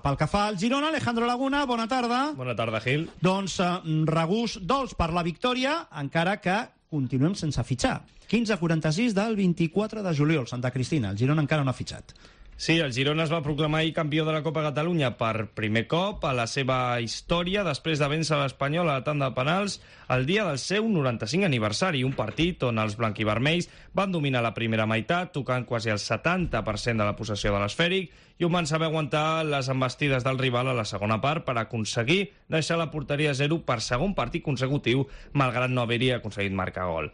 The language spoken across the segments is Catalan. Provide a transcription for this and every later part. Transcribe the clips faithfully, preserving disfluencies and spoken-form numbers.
Pel que fa al Girona, Alejandro Laguna, bona tarda. Bona tarda, Gil. Doncs eh, regús dolç per la victòria, encara que continuem sense fitxar. quinze a quaranta-sis del vint-i-quatre de juliol, Santa Cristina. El Girona encara no ha fitxat. Sí, el Girona es va proclamar ahir campió de la Copa Catalunya per primer cop a la seva història després de vèncer l'Espanyol a la tanda de penals el dia del seu noranta-cinc aniversari, un partit on els blanquivermells van dominar la primera meitat, tocant quasi el setanta per cent de la possessió de l'esfèric, i on van saber aguantar les embestides del rival a la segona part per aconseguir deixar la porteria a zero per segon partit consecutiu, malgrat no haver-hi aconseguit marcar gol.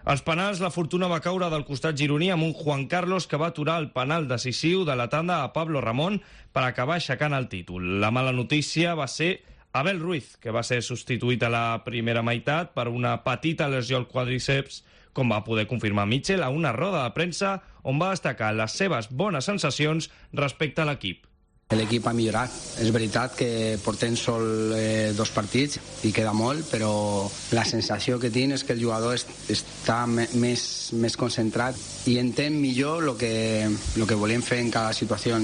Als penals, la fortuna va caure del costat gironí amb un Juan Carlos que va aturar el penal decisiu de la tanda a Pablo Ramón per acabar aixecant el títol. La mala notícia va ser Abel Ruiz, que va ser substituït a la primera meitat per una petita lesió al quadríceps, com va poder confirmar Mitchell a una roda de premsa on va destacar les seves bones sensacions respecte a l'equip. L'equip ha millorat. És veritat que portem sol eh, dos partits i queda molt, però la sensació que tinc és que el jugador est està més, més concentrat i entén millor el que, lo que volem fer en cada situació.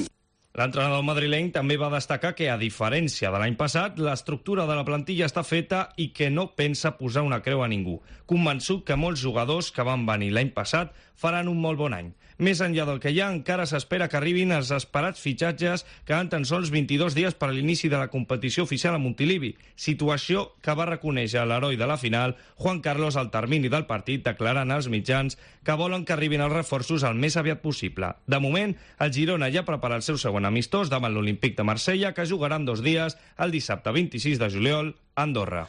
L'entrenador madrileny també va destacar que, a diferència de l'any passat, l'estructura de la plantilla està feta i que no pensa posar una creu a ningú. Convençut que molts jugadors que van venir l'any passat faran un molt bon any. Més enllà del que hi ha, encara s'espera que arribin els esperats fitxatges que han tan sols vint-i-dos dies per a l'inici de la competició oficial a Montilivi, situació que va reconèixer l'heroi de la final, Juan Carlos, al termini del partit, declarant als mitjans que volen que arribin els reforços el més aviat possible. De moment, el Girona ja prepara el seu segon amistós davant l'Olímpic de Marsella, que jugarà en dos dies, el dissabte vint-i-sis de juliol, a Andorra.